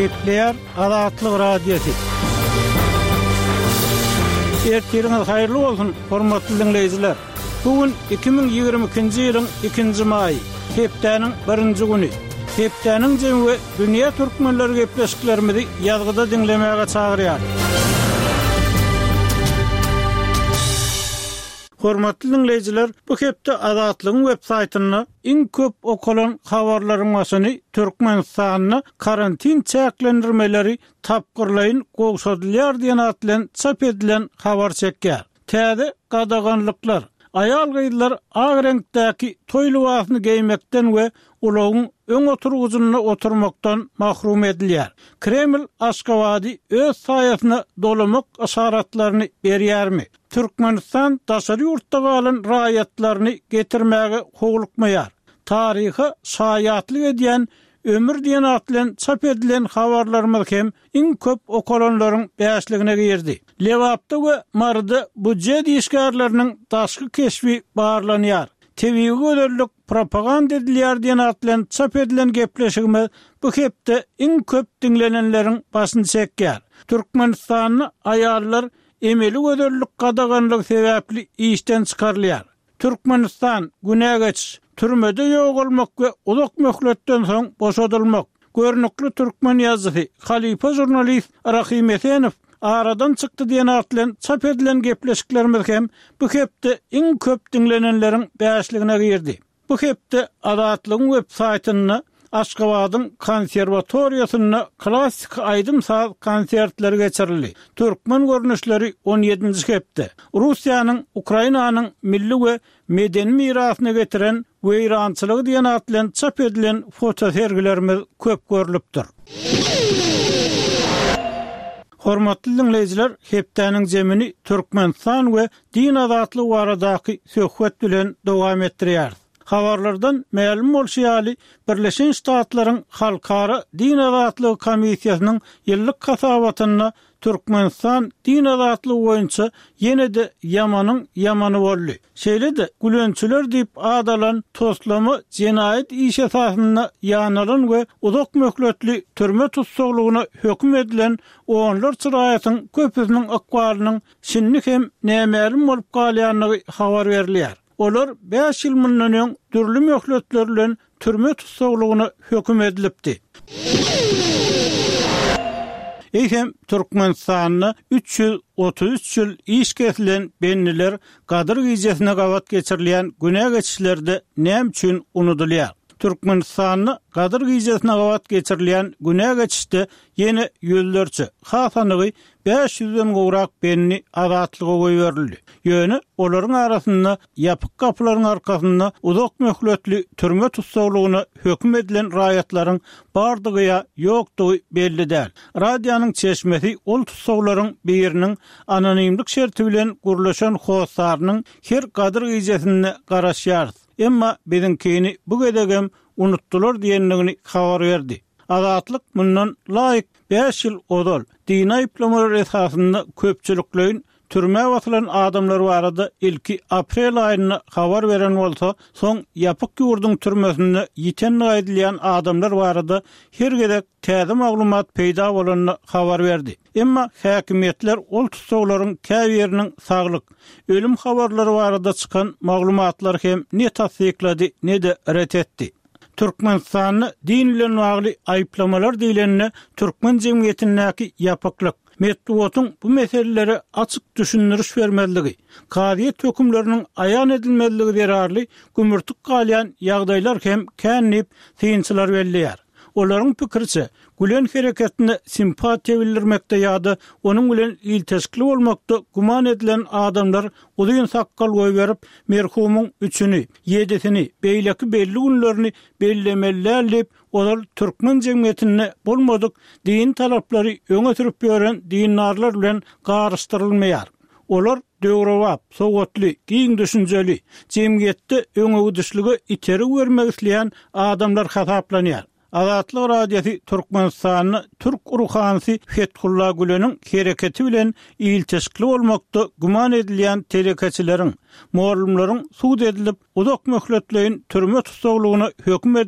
Gepleýär Azatlyk Radiosy. Ertiriňiz haýyrly bolsun, hormatly diňleýjiler! Bu gün 2022-nji ýylyň ikinji maýy, hepdäniň birinji güni. Hepdäniň jemi we dünýä türkmenleri gepleşiklerimizi ýazgyda diňlemäge çagyrýar. Hormatly diňleýjiler, bu hepde Azatlygyň web saýtynda iň köp okalan habarlaryň başyny Türkmenistanda karantin çäklendirmeleri tapgyrlaýyn gowşadylýar diýen at bilen çap edilen habar çekýär. Täze gadaganlyklar, aýal-gyzlar ak reňkdäki toý lybasyny geýmekden we ulagyň öň oturgyjynda oturmakdan mahrum edilýär. Kreml Aşgabady öz saýasyna dolamak yşaratlaryny berýärmi? Türkmenistan daşary ýurtda galan raýatlaryny getirmäge howlukmaýar. Taryha şaýatlyk edýän Ömür diýen at bilen çap edilen habarlarymyz hem iň köp okalanlaryň bäşligine girdi. Lebapda we Maryda býujet işgärleriniň daşky keşbi barlanýar. Tebigy gözellik propaganda edilýär diýen at bilen çap edilen gepleşigimiz bu hepde iň köp diňlenenleriň başyny çekýär. Türkmenistanda aýallar emeli gözellik gadaganlygy sebäpli işden çykarylýar. Türkmenistan, günä geçiş, türmede ýogalmak we uzak möhletden soň boşadylmak. Görnükli türkmen ýazyjysy, halypa žurnalist Rahym Esenow aradan çykdy diýen at bilen çap edilen gepleşiklerimiz hem bu hepde iň köp diňlenenleriň bäşligine girdi. Bu hepde Azatlygyň web saýtynda Aşgabadyň konserwatoriýasynda klassyky aýdym-saz konsertleri geçirildi. Türkmen görnüşleri on ýedinji hepde. Russiýanyň Ukrainanyň milli we medeni mirasyna getiren weýrançylygy diýen at bilen çap edilen fotosergilerimiz köp görlüpdir. Hormatly diňleýjiler, hepdäniň zemini Türkmenistan we din azatlygy baradaky söhbet bilen dowam etdirýäris. Habarlardan mälim bolşy ýaly, Birleşen Ştatlaryň Halkara din azatlygy komissiýasynyň ýyllyk hasabatynda Türkmenistan din azatlygy boýunça ýene-de ýamanyň ýamany boldy. Şeýle-de, gülençiler diýip at alan toslama jenaýat işi esasynda ýanalan we uzak möhletli türme tussaglygyna höküm edilen onlarça raýatyň köpüsiniň ykbalynyň şindi hem nämälim bolup galýandygy habar berilýär. Olar bäş ýyl mundan öň dürli möhletler bilen türme tussaglygyna höküm edilipdi. Eýsem, Türkmenistanda 333 ýyl iş kesilen bendiler Gadyr gijesine gabat geçirilýän günä geçişlerde näme üçin unudylýar? Türkmenistanda Gadyr gijesine gabat geçirilýän günä geçişde ýene ýüzlerçe, has anygy Bäş ýüzden gowrak bendi azatlyga goýberildi. Ýöne olaryň arasynda ýapyk gapylaryň arkasynda uzak möhletli türme tussaglygyna höküm edilen raýatlaryň bardygy ýa ýokdugy belli däl. Radionyň çeşmesi ol tussaglaryň biriniň anonimlik şerti bilen gürleşen hossarynyň her Gadyr gijesinde garaşýarys, emma biziňkini bu gezegem unutdylar diýendigini habar berdi. Azatlyk mundan laýyk Bäş ýyl ozal, dini aýyplamalar esasynda köpçülikleýin türmä basylan adamlar barada ilki aprel aýynda habar beren bolsa, soň ýapyk ýurduň türmesinde ýitendigi aýdylýan adamlar barada her gezek täze maglumat peýda bolanda habar berdi. Emma häkimiýetler ol tussaglaryň käbiriniň saglyk, ölüm habarlary barada çykan maglumatlary hem ne tassyklady, ne-de ret etdi. Türkmenistanda din bilen bagly aýyplamalar diýlende türkmen jemgyýetindäki ýapyklyk, metbugatyň bu meselelere açyk düşündiriş bermezligi, kazyýet hökümleriniň aýan edilmezligi zerarly gümürtik galýan ýagdaýlar hem kän diýip, synçylar belleýär. Olaryň pikiriçe, Gülen hereketine simpatiýa bildirmekde ýa-da onuň bilen ilteşikli bolmakda güman edilen adamlar uzyn sakgal goýberip, merhumyň üçüni, ýedisini, beýleki belli günlerini bellemeli däl diýip, ozal türkmen jemgyýetinde bolmadyk dini talaplary öňe sürüp ýören dindarlar bilen garyşdyrylmaýar. Olar döwrebap, sowatly, giň düşünjeli, jemgyýetde öňegidişlige itergi bermek isleýän adamlar hasaplanýar. Azatlyk Radiosy Türkmenistanda türk ruhanysy Fethulla Güleniň hereketi bilen ilteşikli bolmakda güman edilýän telekeçileriň, mugallymlaryň sud edilip, uzak möhletleýin türme tussaglygyna höküm edilen.